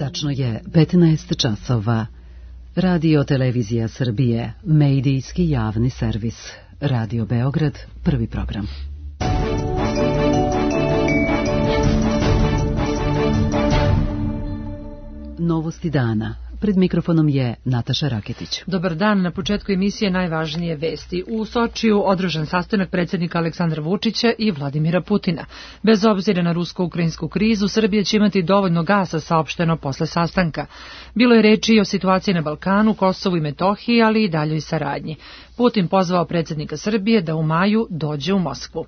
Tačno je 15 časova. Radio Televizija Srbije, medijski javni servis. Radio Beograd, prvi program. Novosti dana. Pred mikrofonom je Nataša Raketić. Dobar dan, na početku emisije najvažnije vesti. U Sočiju održan sastanak predsjednika Aleksandra Vučića i Vladimira Putina. Bez obzira na rusko-ukrajinsku krizu, Srbija će imati dovoljno gasa, saopšteno posle sastanka. Bilo je reči i o situaciji na Balkanu, Kosovu i Metohiji, ali i daljoj saradnji. Putin pozvao predsjednika Srbije da u maju dođe u Moskvu.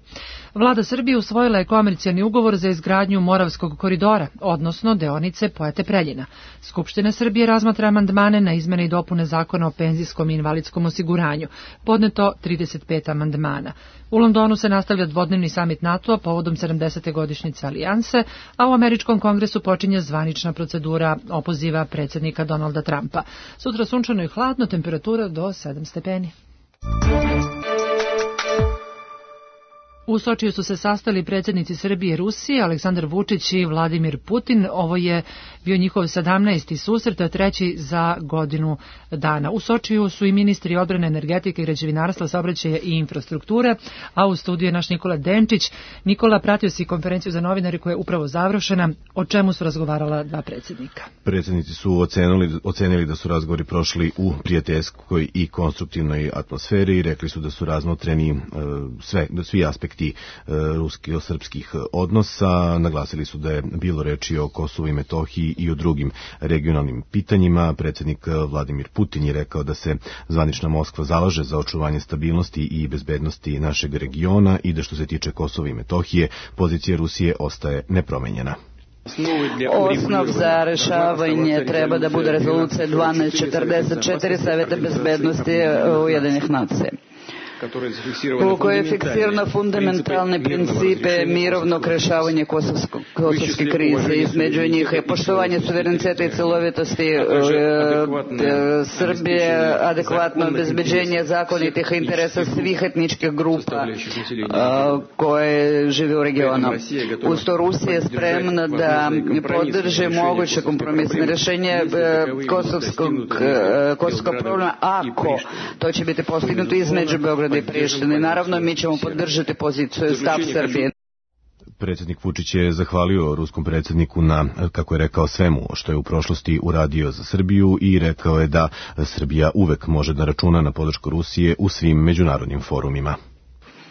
Vlada Srbije usvojila je komercijalni ugovor za izgradnju Moravskog koridora, odnosno deonice Pojate-Preljina. Skupština Srbije razmatra amandmane na izmene i dopune zakona o penzijskom i invalidskom osiguranju. Podneto 35 amandmana. U Londonu se nastavlja dvodnevni samit NATO-a povodom 70. godišnjice alijanse, a u Američkom kongresu počinje zvanična procedura opoziva predsjednika Donalda Trumpa. Sutra sunčano i hladno, temperatura do 7 stepeni. U Sočiju su se sastali predsjednici Srbije i Rusije, Aleksandar Vučić i Vladimir Putin. Ovo je bio njihov 17. susret, a treći za godinu dana. U Sočiju su i ministri odbrane, energetike, građevinarstva, saobraćaja i infrastrukture, a u studiju je naš Nikola Denčić. Nikola, pratio si konferenciju za novinare koja je upravo završena. O čemu su razgovarala dva predsjednika? Predsjednici su ocenili da su razgovori prošli u prijateljskoj i konstruktivnoj atmosferi i rekli su da su razmotreni svi aspekti rusko-srpskih odnosa. Naglasili su da je bilo reči o Kosovu i Metohiji i o drugim regionalnim pitanjima. Predsjednik Vladimir Putin je rekao da se zvanična Moskva zalaže za očuvanje stabilnosti i bezbednosti našeg regiona i da što se tiče Kosova i Metohije, pozicija Rusije ostaje nepromenjena. Osnov za rešavanje treba da bude rezolucija 1244 Saveta bezbednosti Ujedinjenih nacija, u kojoj je fiksirano fundamentalne principe mirovnog rešavanja kosovske krize. Između njih je poštovanje suvereniteta i celovitosti Srbije, adekvatno obezbeđenje zakonitih interesa svih etničkih grupa koje žive u regionu. Uz to Rusija je spremna da podrži moguće kompromisne rešenje kosovskog problema ako to će biti postignuto između Beograda i Prištine. Naravno, mi ćemo podržati poziciju stav Srbije. Predsjednik Vučić je zahvalio ruskom predsjedniku na, kako je rekao, svemu što je u prošlosti uradio za Srbiju i rekao je da Srbija uvek može da računa na podršku Rusije u svim međunarodnim forumima.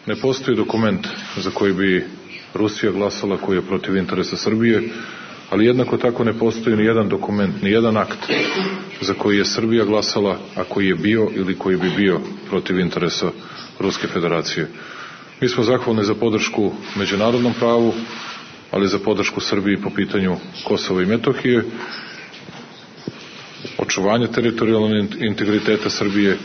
Ne postoji dokument za koji bi Rusija glasala koji je protiv interesa Srbije, ali jednako tako ne postoji ni jedan dokument, ni jedan akt za koji je Srbija glasala, a koji je bio ili koji bi bio protiv interesa Ruske federacije. Mi smo zahvalni za podršku međunarodnom pravu, ali za podršku Srbiji po pitanju Kosova i Metohije, očuvanje teritorijalnog integriteta Srbije.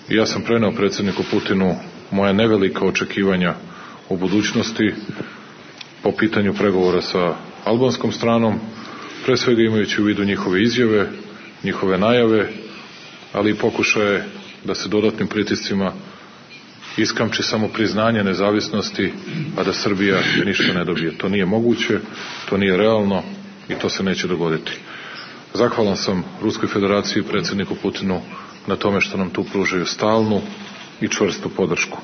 I ja sam preneo predsjedniku Putinu moja nevelika očekivanja u budućnosti po pitanju pregovora sa albanskom stranom, pre svega imajući u vidu njihove izjave, njihove najave, ali i pokušaje da se dodatnim pritiscima iskamči samo priznanje nezavisnosti, a da Srbija ništa ne dobije. To nije moguće, to nije realno i to se neće dogoditi. Zahvalan sam Ruskoj federaciji i predsjedniku Putinu na tome što nam tu pružaju stalnu i čvrstu podršku.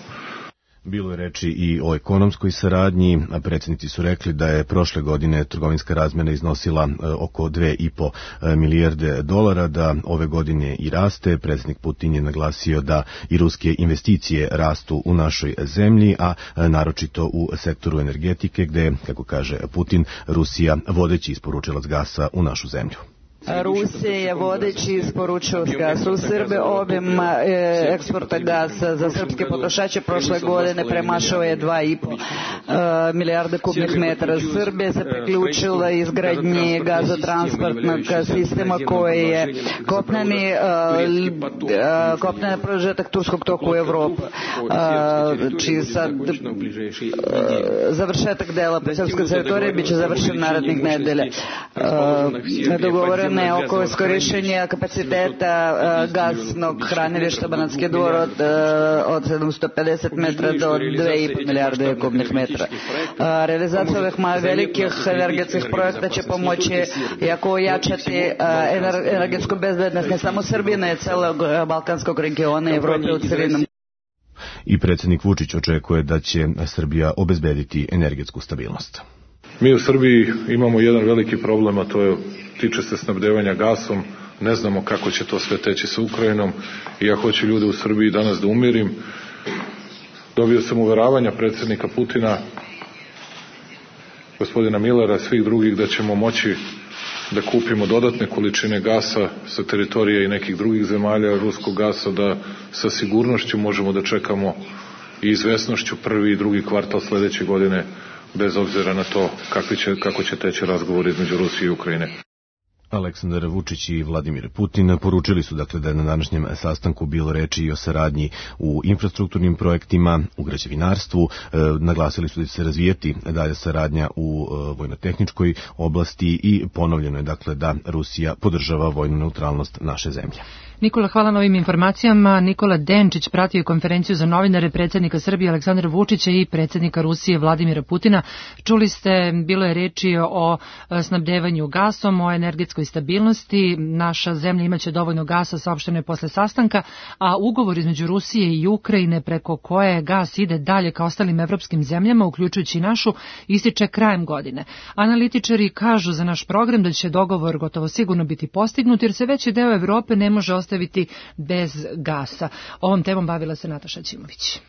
Bilo je reči i o ekonomskoj saradnji, a predsjednici su rekli da je prošle godine trgovinska razmjena iznosila oko 2,5 milijarde dolara, da ove godine i raste. Predsjednik Putin je naglasio da i ruske investicije rastu u našoj zemlji, a naročito u sektoru energetike, gde, kako kaže Putin, Rusija vodeći isporučilac gasa u našu zemlju. Rusija je vodeći isporučilac gasa u Srbiji. Obim eksporta gasa za srpske potrošače prošle godine premašao je 2,5 milijarde kubnih metara. Srbija se priključila izgradnji gazotransportnog sistema koji je kopneni prožetak turskog toka u Evropu, čiji sad završetak dela srpske teritorije biće završen narednih nedelja. Dogovoreno pregovore oko iskorišćenja kapaciteta gasnog hranilišta Banatski Dvor od 750 metra do 2,5 milijarde kubnih metra. Realizacija ovih velikih energetskih projekta će pomoći jako ojačati energetsku bezbednost ne samo Srbije, ne celog balkanskog regiona i Evrope u celini. I predsjednik Vučić očekuje da će Srbija obezbediti energetsku stabilnost. Mi u Srbiji imamo jedan veliki problem, a to je, tiče se snabdevanja gasom. Ne znamo kako će to sve teći sa Ukrajinom i ja hoću ljude u Srbiji danas da umirim. Dobio sam uveravanja predsjednika Putina, gospodina Millera, svih drugih da ćemo moći da kupimo dodatne količine gasa sa teritorija i nekih drugih zemalja, ruskog gasa, da sa sigurnošću možemo da čekamo i izvesnošću prvi i drugi kvartal sledeće godine, bez obzira na to kako će teći razgovor između Rusije i Ukrajine. Aleksandar Vučić i Vladimir Putin poručili su dakle da je na današnjem sastanku bilo reči i o saradnji u infrastrukturnim projektima, u građevinarstvu, naglasili su da će se razvijeti dalje saradnja u vojno-tehničkoj oblasti i ponovljeno je dakle da Rusija podržava vojnu neutralnost naše zemlje. Nikola, hvala na ovim informacijama. Nikola Denčić pratio je konferenciju za novinare predsjednika Srbije Aleksandra Vučića i predsjednika Rusije Vladimira Putina. Čuli ste, bilo je reči o snabdevanju gasom, o energetskoj stabilnosti. Naša zemlja imaće dovoljno gasa, saopšteno je posle sastanka, a ugovor između Rusije i Ukrajine preko koje gas ide dalje ka ostalim evropskim zemljama, uključujući i našu, ističe krajem godine. Analitičari kažu za naš program da će dogovor gotovo sigurno biti postignut, jer se veći deo Evrope ne može ostaviti bez gasa. Ovom temom bavila se Nataša Ćimović.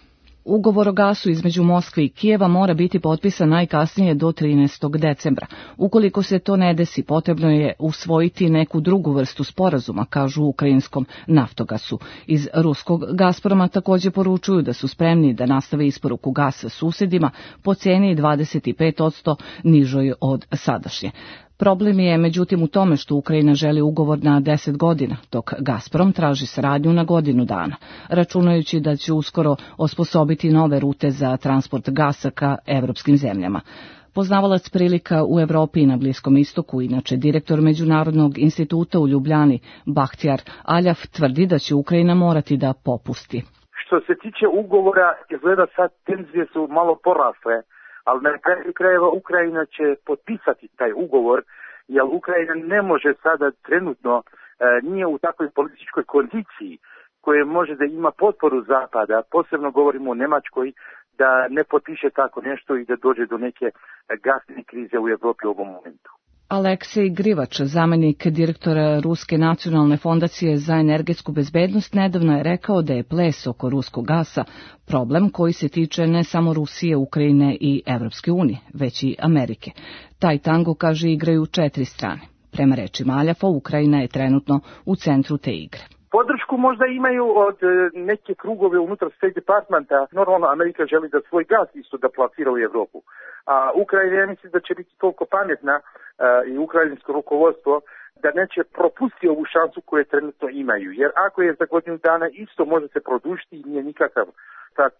Ugovor o gasu između Moskve i Kijeva mora biti potpisan najkasnije do 13. decembra. Ukoliko se to ne desi, potrebno je usvojiti neku drugu vrstu sporazuma, kažu u ukrajinskom Naftogasu. Iz ruskog Gazproma također poručuju da su spremni da nastave isporuku gasa susedima po ceni 25% nižoj od sadašnje. Problem je međutim u tome što Ukrajina želi ugovor na 10 godina, dok Gazprom traži saradnju na godinu dana, računajući da će uskoro osposobiti nove rute za transport gasa ka evropskim zemljama. Poznavalac prilika u Evropi i na Bliskom istoku, inače direktor Međunarodnog instituta u Ljubljani, Bahtjar Aljaf, tvrdi da će Ukrajina morati da popusti. Što se tiče ugovora, izgleda sad tenzije su malo porasle, ali na kraju krajeva Ukrajina će potpisati taj ugovor, jer Ukrajina ne može sada trenutno, nije u takvoj političkoj kondiciji koje može da ima potporu Zapada, posebno govorimo o Njemačkoj, da ne potpiše tako nešto i da dođe do neke gasne krize u Evropi u ovom momentu. Aleksej Grivač, zamjenik direktora Ruske nacionalne fondacije za energetsku bezbednost, nedavno je rekao da je ples oko ruskog gasa problem koji se tiče ne samo Rusije, Ukrajine i Evropske unije, već i Amerike. Taj tango, kaže, igraju 4 strane. Prema rečima Aljafa, Ukrajina je trenutno u centru te igre. Podršku možda imaju od neke krugove unutar State Departmenta. Normalno Amerika želi da svoj gas isto da plasira u Evropu. A Ukrajina, ja mislim da će biti toliko pametna i ukrajinsko rukovodstvo da neće propustiti ovu šansu koju trenutno imaju. Jer ako je za godinu dana isto može se produžiti i nije nikakav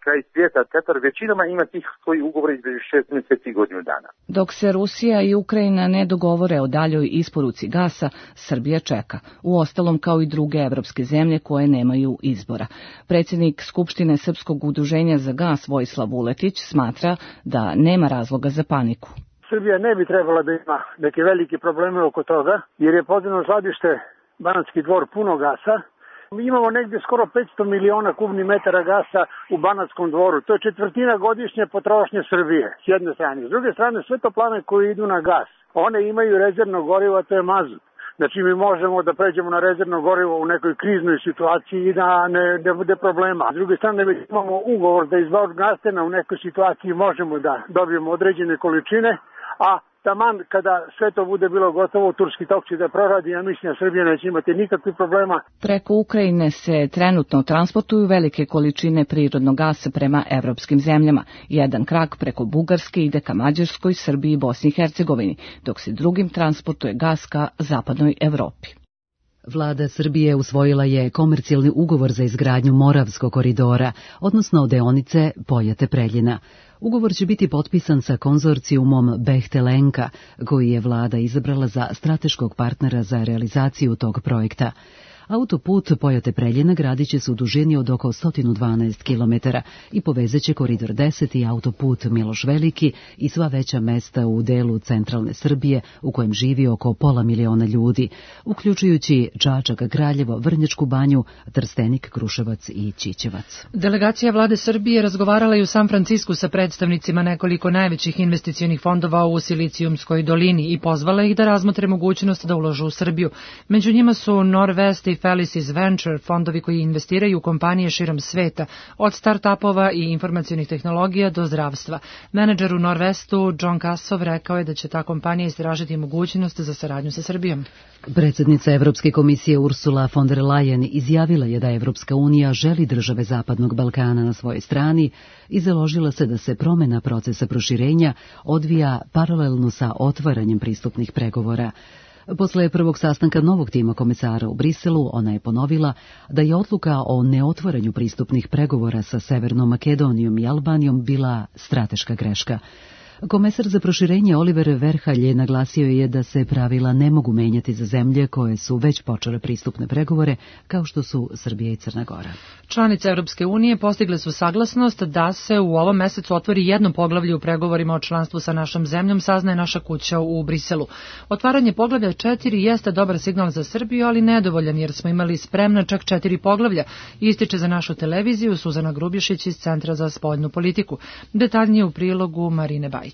kraj svijeta. Katar većinama ima tih svojih ugovora između 6 mjeseci i godinu dana. Dok se Rusija i Ukrajina ne dogovore o daljoj isporuci gasa, Srbija čeka. Uostalom kao i druge evropske zemlje koje nemaju izbora. Predsjednik Skupštine Srpskog udruženja za gas Vojislav Vuletić smatra da nema razloga za paniku. Srbija ne bi trebala da ima neke velike probleme oko toga, jer je podzemno skladište Banatski Dvor puno gasa. Mi imamo negdje skoro 500 miliona kubnih metara gasa u Banatskom Dvoru. To je četvrtina godišnje potrošnje Srbije, s jedne strane. S druge strane, sve toplane koje idu na gas, one imaju rezervno gorivo, a to je mazut. Znači mi možemo da pređemo na rezervno gorivo u nekoj kriznoj situaciji i da ne bude problema. S druge strane, već imamo ugovor da iz Vorgastena u nekoj situaciji možemo da dobijemo određene količine, a taman kada sve to bude bilo gotovo, Turski tok će da proradi, ja mislim da Srbija neće imati nikakvih problema. Preko Ukrajine se trenutno transportuju velike količine prirodnog gasa prema evropskim zemljama. Jedan krak preko Bugarske ide ka Mađarskoj, Srbiji i Bosni i Hercegovini, dok se drugim transportuje gas ka zapadnoj Evropi. Vlada Srbije usvojila je komercijalni ugovor za izgradnju Moravskog koridora, odnosno deonice Pojate-Preljina. Ugovor će biti potpisan sa konzorcijumom Behtelenka, koji je vlada izabrala za strateškog partnera za realizaciju tog projekta. Autoput Pojate-Preljina gradit će se u dužini od oko 112 km i povezaće koridor 10 i autoput Miloš Veliki i sva veća mesta u delu centralne Srbije u kojem živi oko 500.000 ljudi, uključujući Čačak, Kraljevo, Vrnjačku Banju, Trstenik, Kruševac i Ćićevac. Delegacija vlade Srbije razgovarala je u San Francisku sa predstavnicima nekoliko najvećih investicionih fondova u Silicijumskoj dolini i pozvala ih da razmotre mogućnost da uložu u Srbiju. Među njima su Norvest i Felicis Venture, fondovi koji investiraju u kompanije širom sveta, od start-upova i informacionih tehnologija do zdravstva. Menadžer u Norvestu, John Kassov, rekao je da će ta kompanija istražiti mogućnost za saradnju sa Srbijom. Predsjednica Evropske komisije Ursula von der Leyen izjavila je da Evropska unija želi države Zapadnog Balkana na svojoj strani i založila se da se promjena procesa proširenja odvija paralelno sa otvaranjem pristupnih pregovora. Posle prvog sastanka novog tima komesara u Briselu, ona je ponovila da je odluka o neotvaranju pristupnih pregovora sa Severnom Makedonijom i Albanijom bila strateška greška. Komesar za proširenje Oliver Verhalje naglasio je da se pravila ne mogu menjati za zemlje koje su već počele pristupne pregovore, kao što su Srbija i Crna Gora. Članice Europske unije postigle su saglasnost da se u ovom mesecu otvori jedno poglavlje u pregovorima o članstvu sa našom zemljom, saznaje naša kuća u Briselu. Otvaranje poglavlja 4 jeste dobar signal za Srbiju, ali nedovoljan jer smo imali spremna čak 4 poglavlja, ističe za našu televiziju Suzana Grubješić iz Centra za spoljnu politiku. Detaljnije u prilogu Marine Bajić.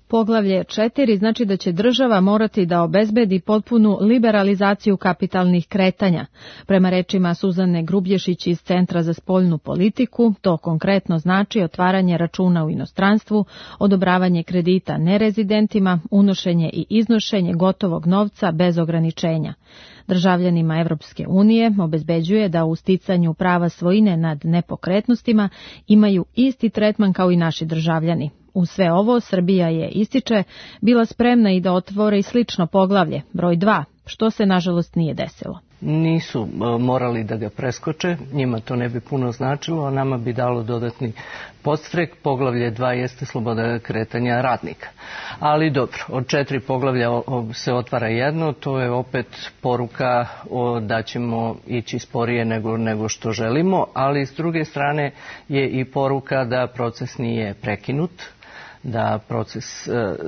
Poglavlje 4 znači da će država morati da obezbedi potpunu liberalizaciju kapitalnih kretanja. Prema rečima Suzane Grubješić iz Centra za spoljnu politiku, to konkretno znači otvaranje računa u inostranstvu, odobravanje kredita nerezidentima, unošenje i iznošenje gotovog novca bez ograničenja. Državljanima Evropske unije obezbeđuje da u sticanju prava svojine nad nepokretnostima imaju isti tretman kao i naši državljani. U sve ovo Srbija je, ističe, bila spremna i da otvori slično poglavlje, broj 2, što se nažalost nije desilo. Nisu morali da ga preskoče, njima to ne bi puno značilo, a nama bi dalo dodatni podstrek. Poglavlje 2 jeste sloboda kretanja radnika. Ali dobro, od 4 poglavlja se otvara jedno, to je opet poruka da ćemo ići sporije nego što želimo, ali s druge strane je i poruka da proces nije prekinut,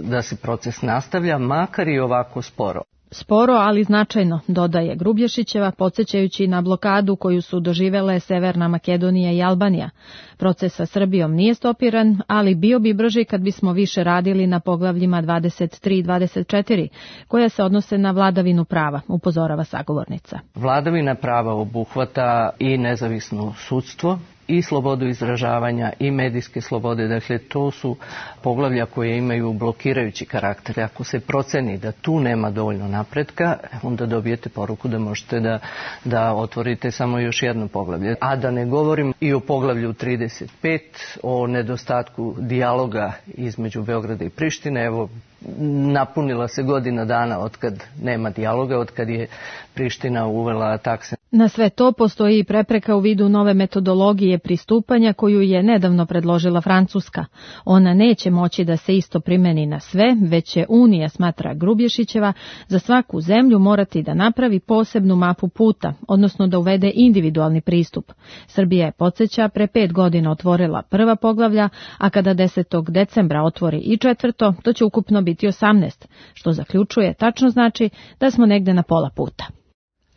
da se proces nastavlja, makar i ovako sporo. Sporo, ali značajno, dodaje Grubješićeva, podsjećajući na blokadu koju su doživele Severna Makedonija i Albanija. Proces sa Srbijom nije stopiran, ali bio bi brži kad bismo više radili na poglavljima 23 i 24, koja se odnose na vladavinu prava, upozorava sagovornica. Vladavina prava obuhvata i nezavisno sudstvo, i slobodu izražavanja i medijske slobode, dakle to su poglavlja koje imaju blokirajući karakter. Ako se proceni da tu nema dovoljno napretka, onda dobijete poruku da možete da otvorite samo još jedno poglavlje. A da ne govorim i o poglavlju 35, o nedostatku dijaloga između Beograda i Prištine. Evo, napunila se godina dana otkad nema dijaloga, otkad je Priština uvela takse. Na sve to postoji i prepreka u vidu nove metodologije pristupanja koju je nedavno predložila Francuska. Ona neće moći da se isto primeni na sve, već će Unija, smatra Grubješićeva, za svaku zemlju morati da napravi posebnu mapu puta, odnosno da uvede individualni pristup. Srbija je, podsjeća, pre 5 godina otvorila prva poglavlja, a kada 10. decembra otvori i četvrto, to će ukupno biti 18, što zaključuje tačno znači da smo negde na pola puta.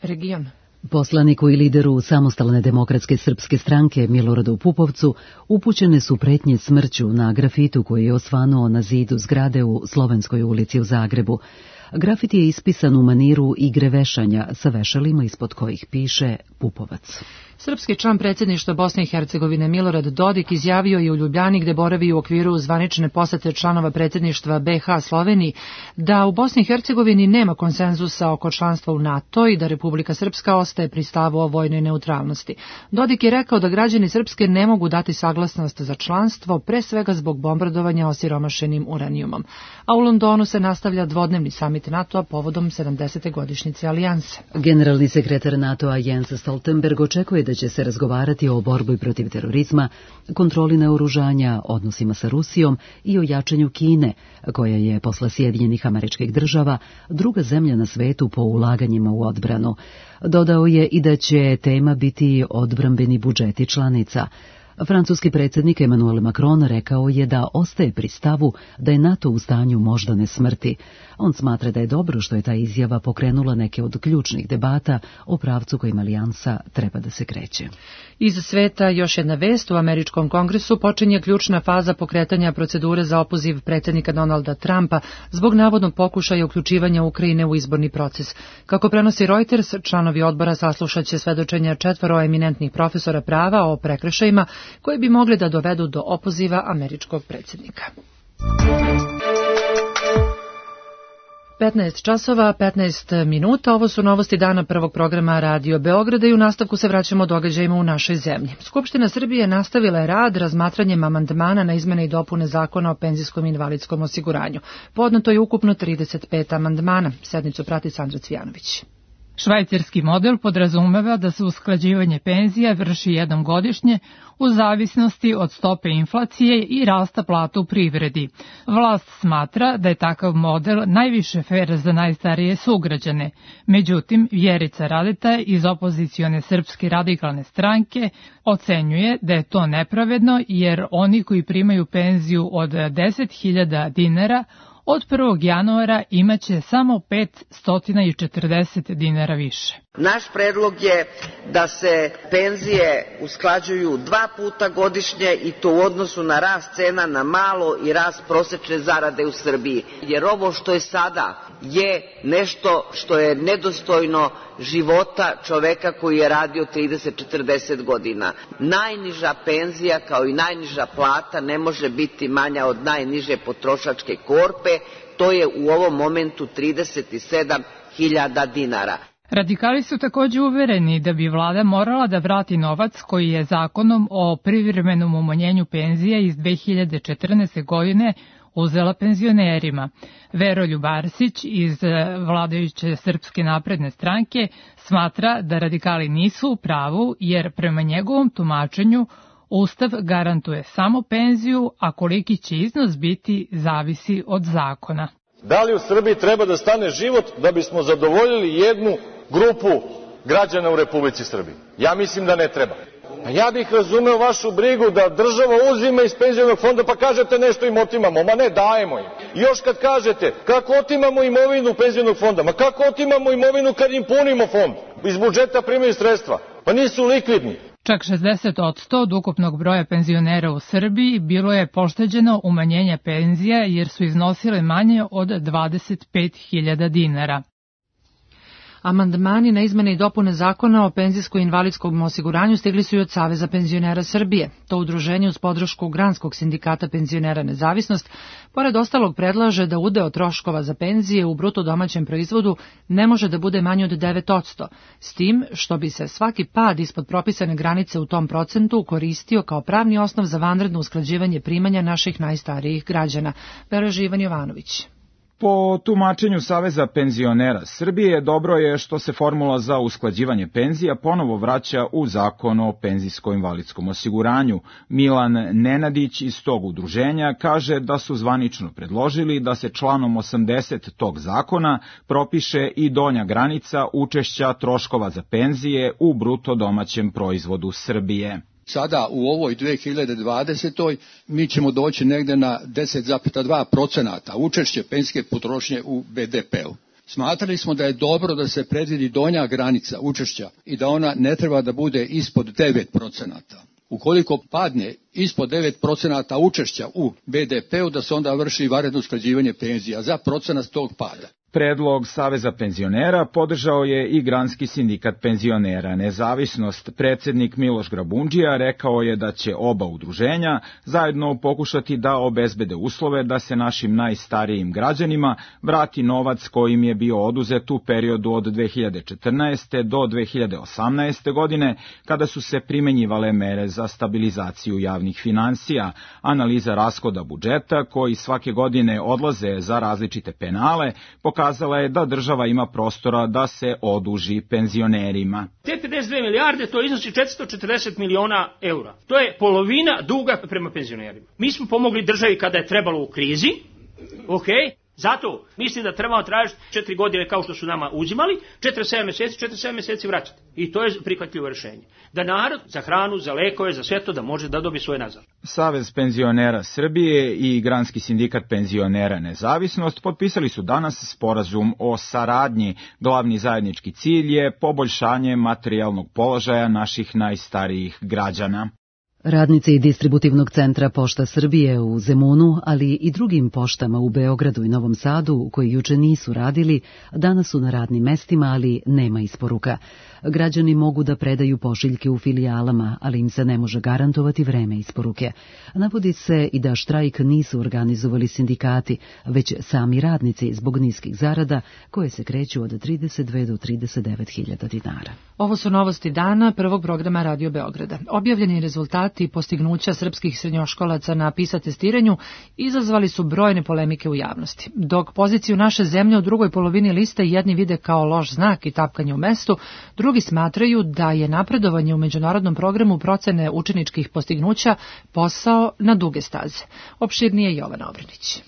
Region. Poslaniku i lideru Samostalne demokratske srpske stranke Miloradu Pupovcu upućene su pretnje smrću na grafitu koji je osvanuo na zidu zgrade u Slovenskoj ulici u Zagrebu. Grafit je ispisan u maniru igre vešanja sa vešalima ispod kojih piše Pupovac. Srpski član predsjedništva Bosne i Hercegovine Milorad Dodik izjavio je u Ljubljani, gde boravi u okviru zvanične posete članova predsjedništva BiH Sloveniji, da u Bosni i Hercegovini nema konsenzusa oko članstva u NATO i da Republika Srpska ostaje pri stavu o vojnoj neutralnosti. Dodik je rekao da građani Srpske ne mogu dati saglasnost za članstvo, pre svega zbog bombardovanja osiromašenim uranijumom. A u Londonu se nastavlja dvodnevni samit samit NATO-a povodom 70. godišnjice alijanse. Generalni sekretar NATO-a Jens Stoltenberg očekuje da će se razgovarati o borbi protiv terorizma, kontroli naoružanja, odnosima sa Rusijom i o jačanju Kine, koja je posle Sjedinjenih Američkih Država druga zemlja na svetu po ulaganjima u odbranu. Dodao je i da će tema biti odbrambeni budžeti članica. Francuski predsjednik Emmanuel Macron rekao je da ostaje pri stavu da je NATO u stanju moždane smrti. On smatra da je dobro što je ta izjava pokrenula neke od ključnih debata o pravcu kojim alijansa treba da se kreće. Iz sveta još jedna vest: u Američkom kongresu počinje ključna faza pokretanja procedure za opoziv predsjednika Donalda Trumpa zbog navodnog pokušaja uključivanja Ukrajine u izborni proces. Kako prenosi Reuters, članovi odbora saslušaće svedočenja 4 eminentnih profesora prava o prekršajima koji bi mogli da dovedu do opoziva američkog predsjednika. 15 časova, 15 minuta. Ovo su novosti dana prvog programa Radio Beograda i u nastavku se vraćamo događajima u našoj zemlji. Skupština Srbije nastavila je rad razmatranjem amandmana na izmene i dopune Zakona o penzijskom i invalidskom osiguranju. Podneto je ukupno 35 amandmana. Sednicu prati Sandra Cvijanović. Švajcarski model podrazumeva da se usklađivanje penzija vrši jednom godišnje u zavisnosti od stope inflacije i rasta plata u privredi. Vlast smatra da je takav model najviše fer za najstarije sugrađane. Međutim, Vjerica Radeta iz opozicione Srpske radikalne stranke ocenjuje da je to nepravedno jer oni koji primaju penziju od 10.000 dinara od 1. januara imaće samo 540 dinara više. Naš predlog je da se penzije usklađuju 2 puta godišnje i to u odnosu na rast cena na malo i rast prosečne zarade u Srbiji. Jer ovo što je sada je nešto što je nedostojno života čoveka koji je radio 30-40 godina. Najniža penzija kao i najniža plata ne može biti manja od najniže potrošačke korpe, to je u ovom momentu 37.000 dinara. Radikali su također uvereni da bi vlada morala da vrati novac koji je zakonom o privremenom umanjenju penzija iz 2014. godine uzela penzionerima. Veroljub Arsić iz vladajuće Srpske napredne stranke smatra da radikali nisu u pravu jer prema njegovom tumačenju Ustav garantuje samo penziju, a koliki će iznos biti zavisi od zakona. Da li u Srbiji treba da stane život da bismo zadovoljili jednu grupu građana u Republici Srbiji? Ja mislim da ne treba. A ja bih razumeo vašu brigu da država uzima iz penzionog fonda pa kažete nešto im otimamo, ma ne, dajemo im. I još kad kažete kako otimamo imovinu penzionog fonda, ma kako otimamo imovinu kad im punimo fond? Iz budžeta primaju sredstva, pa nisu likvidni. Čak 60% od ukupnog broja penzionera u Srbiji bilo je pošteđeno umanjenja penzija jer su iznosile manje od 25.000 dinara. Amandmani na izmene i dopune Zakona o penzijsko-invalidskom osiguranju stigli su i od Saveza penzionera Srbije. To udruženje uz podršku Granskog sindikata penzionera Nezavisnost, pored ostalog, predlaže da udeo troškova za penzije u bruto domaćem proizvodu ne može da bude manji od 9%, s tim što bi se svaki pad ispod propisane granice u tom procentu koristio kao pravni osnov za vanredno usklađivanje primanja naših najstarijih građana. Veroži Ivan Jovanović. Po tumačenju Saveza penzionera Srbije, dobro je što se formula za usklađivanje penzija ponovo vraća u Zakon o penzijsko-invalidskom osiguranju. Milan Nenadić iz tog udruženja kaže da su zvanično predložili da se članom 80 tog zakona propiše i donja granica učešća troškova za penzije u bruto domaćem proizvodu Srbije. Sada u ovoj 2020. mi ćemo doći negde na 10,2% učešće penzijske potrošnje u BDP-u. Smatrali smo da je dobro da se predvidi donja granica učešća i da ona ne treba da bude ispod 9%. Ukoliko padne ispod 9% učešća u BDP-u, da se onda vrši vanredno usklađivanje penzija za procenat tog pada. Predlog Saveza penzionera podržao je i Granski sindikat penzionera Nezavisnost. Predsjednik Miloš Grabundžija rekao je da će oba udruženja zajedno pokušati da obezbede uslove da se našim najstarijim građanima vrati novac kojim je bio oduzet u periodu od 2014. do 2018. godine, kada su se primenjivale mere za stabilizaciju javnih finansija. Analiza rashoda budžeta, koji svake godine odlaze za različite penale, pokazuje pokazala je da država ima prostora da se oduži penzionerima. Te 52 milijarde to iznosi 440 miliona eura. To je polovina duga prema penzionerima. Mi smo pomogli državi kada je trebalo u krizi, zato mislim da trebamo tražiti 4 godine kao što su nama uzimali, 47 meseci vraćati. I to je prihvatljivo rješenje. Da narod za hranu, za lekove, za sve to da može da dobije svoje nazad. Savez penzionera Srbije i Granski sindikat penzionera Nezavisnost potpisali su danas sporazum o saradnji. Glavni zajednički cilj je poboljšanje materijalnog položaja naših najstarijih građana. Radnici distributivnog centra Pošta Srbije u Zemunu, ali i drugim poštama u Beogradu i Novom Sadu, koji juče nisu radili, danas su na radnim mestima, ali nema isporuka. Građani mogu da predaju pošiljke u filijalama, ali im se ne može garantovati vreme isporuke. Navodi se i da štrajk nisu organizovali sindikati, već sami radnici zbog niskih zarada, koje se kreću od 32 do 39.000 dinara. Ovo su novosti dana prvog programa Radio Beograda. Objavljeni rezultati postignuća srpskih srednjoškolaca na PISA testiranju izazvali su brojne polemike u javnosti. Dok poziciju naše zemlje u drugoj polovini liste jedni vide kao loš znak i tapkanje u mestu, drugi smatraju da je napredovanje u međunarodnom programu procene učeničkih postignuća posao na duge staze. Opširnije Jovana Obranić.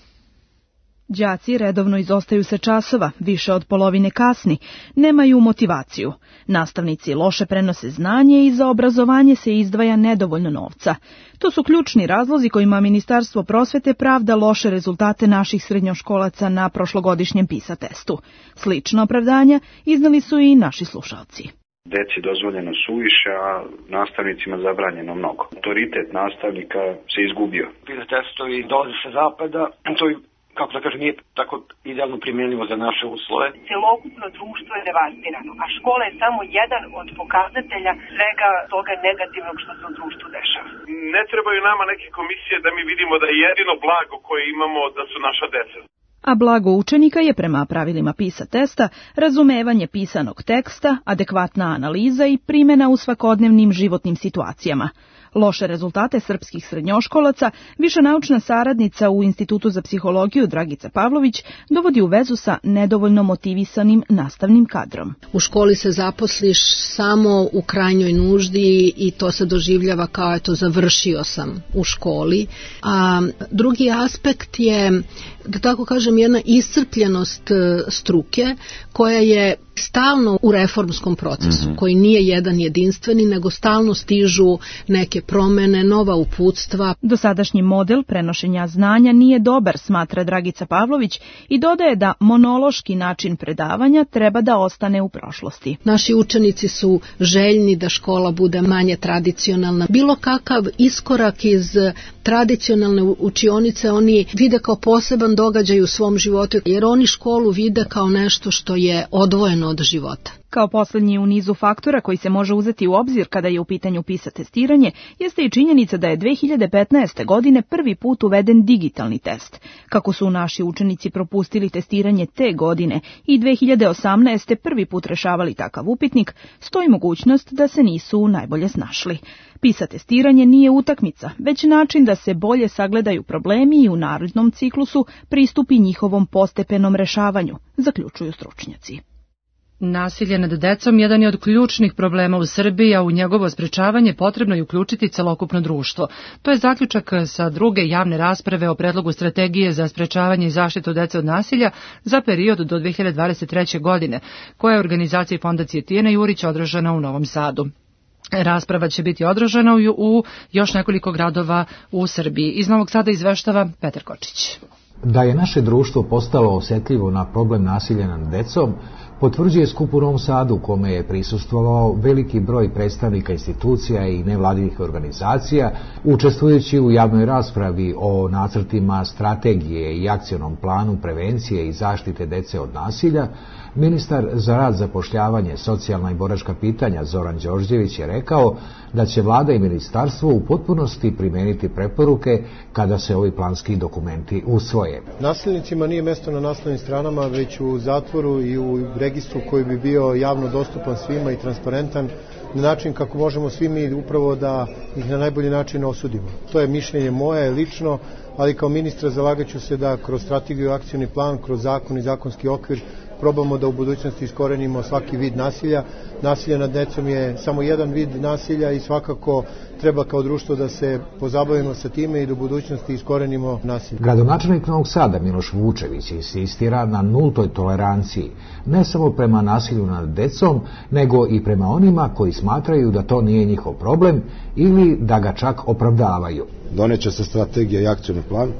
Đaci redovno izostaju sa časova, više od polovine kasni, nemaju motivaciju. Nastavnici loše prenose znanje i za obrazovanje se izdvaja nedovoljno novca. To su ključni razlozi kojima Ministarstvo prosvete pravda loše rezultate naših srednjoškolaca na prošlogodišnjem PISA testu. Slična opravdanja iznali su i naši slušalci. Deci dozvoljeno suviše, a nastavnicima zabranjeno mnogo. Autoritet nastavnika se izgubio. PISA testovi dolaze sa zapada, to kako da kažem, nije tako idealno primjenjivo za naše uslove. Celokupno društvo je devastirano, a škola je samo jedan od pokazatelja svega toga negativnog što se u društvu dešava. Ne trebaju nama neke komisije da mi vidimo da je jedino blago koje imamo da su naša deca. A blago učenika je prema pravilima PISA testa razumevanje pisanog teksta, adekvatna analiza i primjena u svakodnevnim životnim situacijama. Loše rezultate srpskih srednjoškolaca viša naučna saradnica u Institutu za psihologiju Dragica Pavlović dovodi u vezu sa nedovoljno motivisanim nastavnim kadrom. U školi se zaposliš samo u krajnjoj nuždi i to se doživljava kao eto završio sam u školi. A drugi aspekt je, da tako kažem, jedna iscrpljenost struke koja je stalno u reformskom procesu, koji nije jedan jedinstveni, nego stalno stižu neke promene, nova uputstva. Dosadašnji model prenošenja znanja nije dobar, smatra Dragica Pavlović i dodaje da monološki način predavanja treba da ostane u prošlosti. Naši učenici su željni da škola bude manje tradicionalna. Bilo kakav iskorak iz tradicionalne učionice oni vide kao poseban događaj u svom životu, jer oni školu vide kao nešto što je odvojeno od života. Kao posljednji u nizu faktora koji se može uzeti u obzir kada je u pitanju PISA testiranje, jeste i činjenica da je 2015. godine prvi put uveden digitalni test. Kako su naši učenici propustili testiranje te godine i 2018. prvi put rešavali takav upitnik, stoji mogućnost da se nisu najbolje snašli. PISA testiranje nije utakmica, već način da se bolje sagledaju problemi i u narednom ciklusu pristupi njihovom postepenom rešavanju, zaključuju stručnjaci. Nasilje nad decom jedan je od ključnih problema u Srbiji, a u njegovo sprečavanje potrebno je uključiti celokupno društvo. To je zaključak sa druge javne rasprave o predlogu strategije za sprečavanje i zaštitu dece od nasilja za period do 2023. godine, koja je organizacija Fondacije Tijana Jurić održana u Novom Sadu. Rasprava će biti održana u još nekoliko gradova u Srbiji. Iz Novog Sada izveštava Petar Kočić. Da je naše društvo postalo osjetljivo na problem nasilja nad decom, potvrđuje skup u Novom Sadu, kome je prisustvovao veliki broj predstavnika institucija i nevladinih organizacija, učestvujući u javnoj raspravi o nacrtima strategije i akcionom planu prevencije i zaštite dece od nasilja. Ministar za rad, zapošljavanje, socijalna i boračka pitanja Zoran Đorđević je rekao da će vlada i ministarstvo u potpunosti primeniti preporuke kada se ovi planski dokumenti usvoje. Nasilnicima nije mesto na naslovnim stranama, već u zatvoru i u registru koji bi bio javno dostupan svima i transparentan, na način kako možemo svi mi upravo da ih na najbolji način osudimo. To je mišljenje moje lično, ali kao ministra zalagaću se da kroz strategiju i akcioni plan, kroz zakon i zakonski okvir probamo da u budućnosti iskorenimo svaki vid nasilja. Nasilje nad decom je samo jedan vid nasilja i svakako treba kao društvo da se pozabavimo sa time i do budućnosti iskorenimo nasilje. Gradonačelnik Novog Sada Miloš Vučević insistira na nultoj toleranciji, ne samo prema nasilju nad decom, nego i prema onima koji smatraju da to nije njihov problem ili da ga čak opravdavaju. Doneće se strategija i akcioni plan,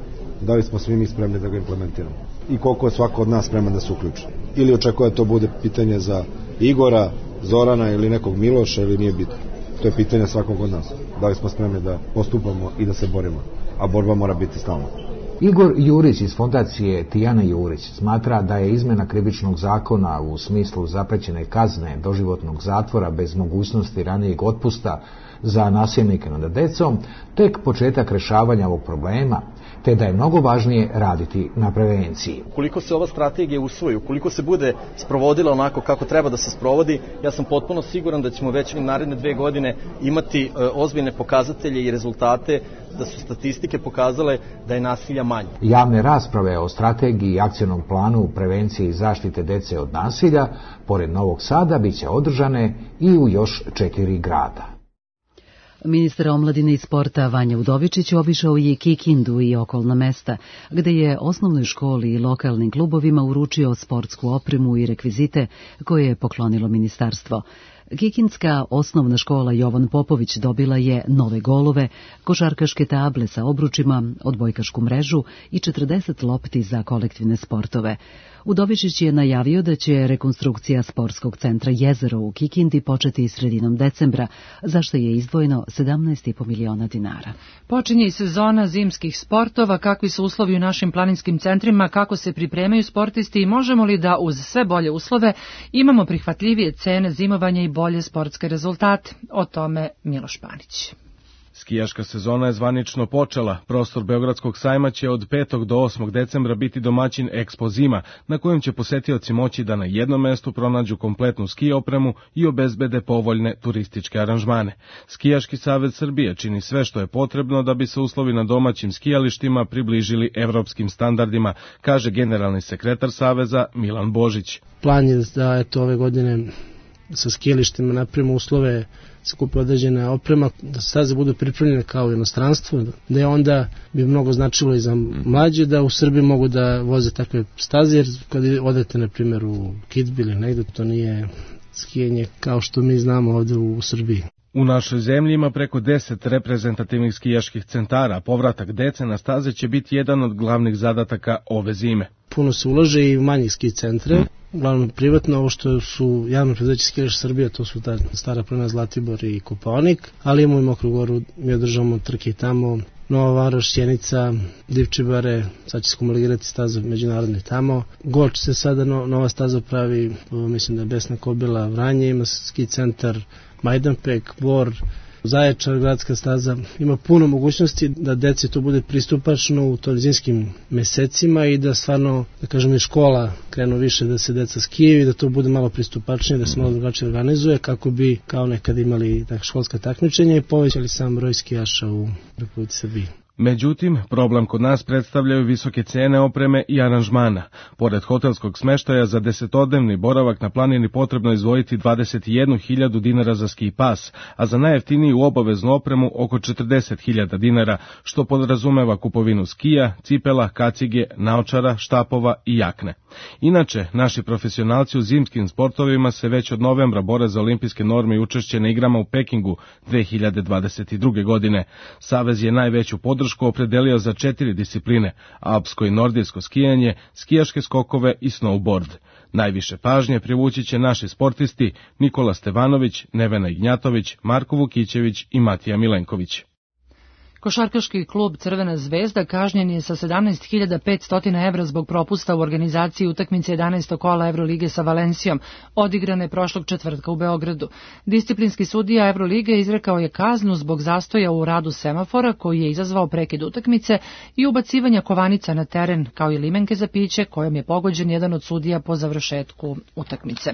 da li smo svi mi spremni da ga implementiramo i koliko je svako od nas spreman da se uključi. Ili očekuje da to bude pitanje za Igora, Zorana ili nekog Miloša ili nije bitno. To je pitanje svakog od nas. Da li smo spremni da postupamo i da se borimo, a borba mora biti stalna. Igor Jurić iz fondacije Tijana Jurić smatra da je izmena krivičnog zakona u smislu zaprećene kazne doživotnog zatvora bez mogućnosti ranijeg otpusta za nasilnike nad decom tek početak rešavanja ovog problema, te da je mnogo važnije raditi na prevenciji. Ukoliko se ova strategija usvoji, ukoliko se bude sprovodila onako kako treba da se sprovodi, ja sam potpuno siguran da ćemo već naredne 2 godine imati ozbiljne pokazatelje i rezultate, da su statistike pokazale da je nasilja manje. Javne rasprave o strategiji i akcionom planu prevencije i zaštite dece od nasilja, pored Novog Sada, biće održane i u još 4 grada. Ministar omladine i sporta Vanja Udovičić obišao je Kikindu i okolna mesta, gde je osnovnoj školi i lokalnim klubovima uručio sportsku opremu i rekvizite koje je poklonilo ministarstvo. Kikindska osnovna škola Jovan Popović dobila je nove golove, košarkaške table sa obručima, odbojkašku mrežu i 40 lopti za kolektivne sportove. Udovičić je najavio da će rekonstrukcija sportskog centra Jezero u Kikindi početi sredinom decembra, za što je izdvojeno 17,5 miliona dinara. Počinje i sezona zimskih sportova, kakvi su uslovi u našim planinskim centrima, kako se pripremaju sportisti i možemo li da uz sve bolje uslove imamo prihvatljivije cene zimovanja i bolje sportske rezultate. O tome Miloš Panić. Skijaška sezona je zvanično počela. Prostor Beogradskog sajma će od 5. do 8. decembra biti domaćin Expo Zima, na kojem će posetioci moći da na jednom mestu pronađu kompletnu ski opremu i obezbede povoljne turističke aranžmane. Skijaški savez Srbije čini sve što je potrebno da bi se uslovi na domaćim skijalištima približili evropskim standardima, kaže generalni sekretar saveza Milan Božić. Plan je da ove godine sa skijalištima napravimo uslove, se kupe određena oprema, da staze budu pripremljene kao u inostranstvu, da je onda bi mnogo značilo i za mlađe da u Srbiji mogu da voze takve staze, jer kad odete na primjer u Kidbi ili negde, to nije skijanje kao što mi znamo ovde u Srbiji. U našoj zemlji ima preko 10 reprezentativnih skijaških centara. Povratak dece na staze će biti jedan od glavnih zadataka ove zime. Puno se ulaže i u manjih ski centre, uglavnom privatno, ovo što su javno preduzeće Skijaš Srbija, to su ta Stara planina, Zlatibor i Kopaonik, ali imamo i Mokru Goru, mi održavamo trke tamo, Nova Varoš, Sjenica, Divčibare, sad će se kumulirati staza međunarodne tamo. Goč se sada nova staza pravi, mislim da je Besna Kobila, Vranje ima ski centar, Majdanpek, Bor, Zaječar, gradska staza. Ima puno mogućnosti da deci to bude pristupačno u zimskim mesecima i da stvarno, da kažem, i škola krenu više da se deca skijaju i da to bude malo pristupačnije, da se malo drugačije organizuje kako bi kao nekad imali školska takmičenja i povećali sam broj skijaša u Republici Srbiji. Međutim, problem kod nas predstavljaju visoke cene opreme i aranžmana. Pored hotelskog smeštaja za 10-dnevni boravak na planini potrebno izdvojiti 21.000 dinara za ski pas, a za najjeftiniju obaveznu opremu oko 40.000 dinara, što podrazumeva kupovinu skija, cipela, kacige, naočara, štapova i jakne. Inače, naši profesionalci u zimskim sportovima se već od novembra bore za olimpijske norme i učešće na igrama u Pekingu 2022. godine. Savez je najveću podršku opredelio za 4 discipline: alpsko i nordijsko skijanje, skijaške skokove i snowboard. Najviše pažnje privući će naši sportisti Nikola Stevanović, Nevena Ignjatović, Marko Vukićević i Matija Milenković. Košarkaški klub Crvena zvezda kažnjen je sa 17.500 evra zbog propusta u organizaciji utakmice 11. kola Evrolige sa Valencijom, odigrane prošlog četvrtka u Beogradu. Disciplinski sudija Evrolige izrekao je kaznu zbog zastoja u radu semafora koji je izazvao prekid utakmice i ubacivanja kovanica na teren, kao i limenke za piće kojom je pogođen jedan od sudija po završetku utakmice.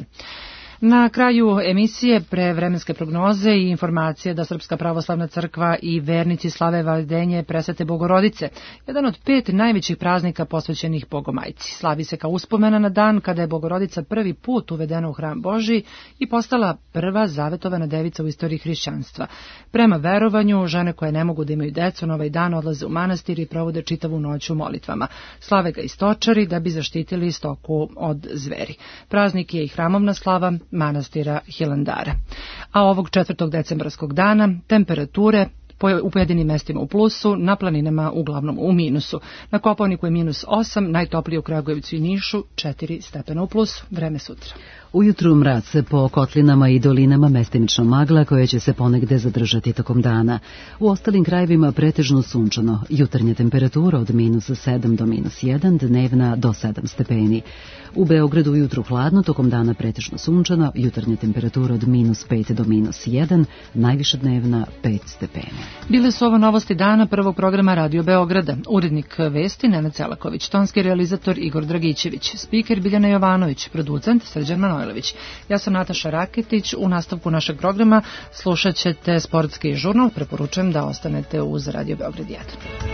Na kraju emisije prevremenske prognoze i informacije da Srpska pravoslavna crkva i vernici slave Valjdenje Presvete Bogorodice, jedan od 5 najvećih praznika posvećenih Bogomajci. Slavi se kao uspomena na dan kada je Bogorodica prvi put uvedena u hram Božji i postala prva zavetovana devica u istoriji hrišćanstva. Prema verovanju, žene koje ne mogu da imaju decu na ovaj dan odlaze u manastir i provode čitavu noć u molitvama. Slave ga i stočari da bi zaštitili stoku od zveri. Praznik je i hramovna slava manastira Hilandara. A ovog 4. decembarskog dana temperature u pojedinim mestima u plusu, na planinama uglavnom u minusu. Na Kopaoniku je -8, najtoplije u Kragujevcu i Nišu 4 stepena u plusu. Vreme sutra. Ujutru mraz, po kotlinama i dolinama mestimično magla koja će se ponegde zadržati tokom dana. U ostalim krajevima pretežno sunčano, jutarnja temperatura od -7 do -1, dnevna do 7 stepeni. U Beogradu ujutru hladno, tokom dana pretežno sunčano, jutarnja temperatura od -5 do -1, najviša dnevna 5 stepeni. Bile su ovo novosti dana prvog programa Radio Beograda. Urednik vesti Nenad Celaković, tonski realizator Igor Dragićević, spiker Biljana Jovanović, producent Srđan Manojlović. Ja sam Nataša Raketić. U nastavku našeg programa slušat ćete sportski žurnal. Preporučujem da ostanete uz Radio Beograd 1.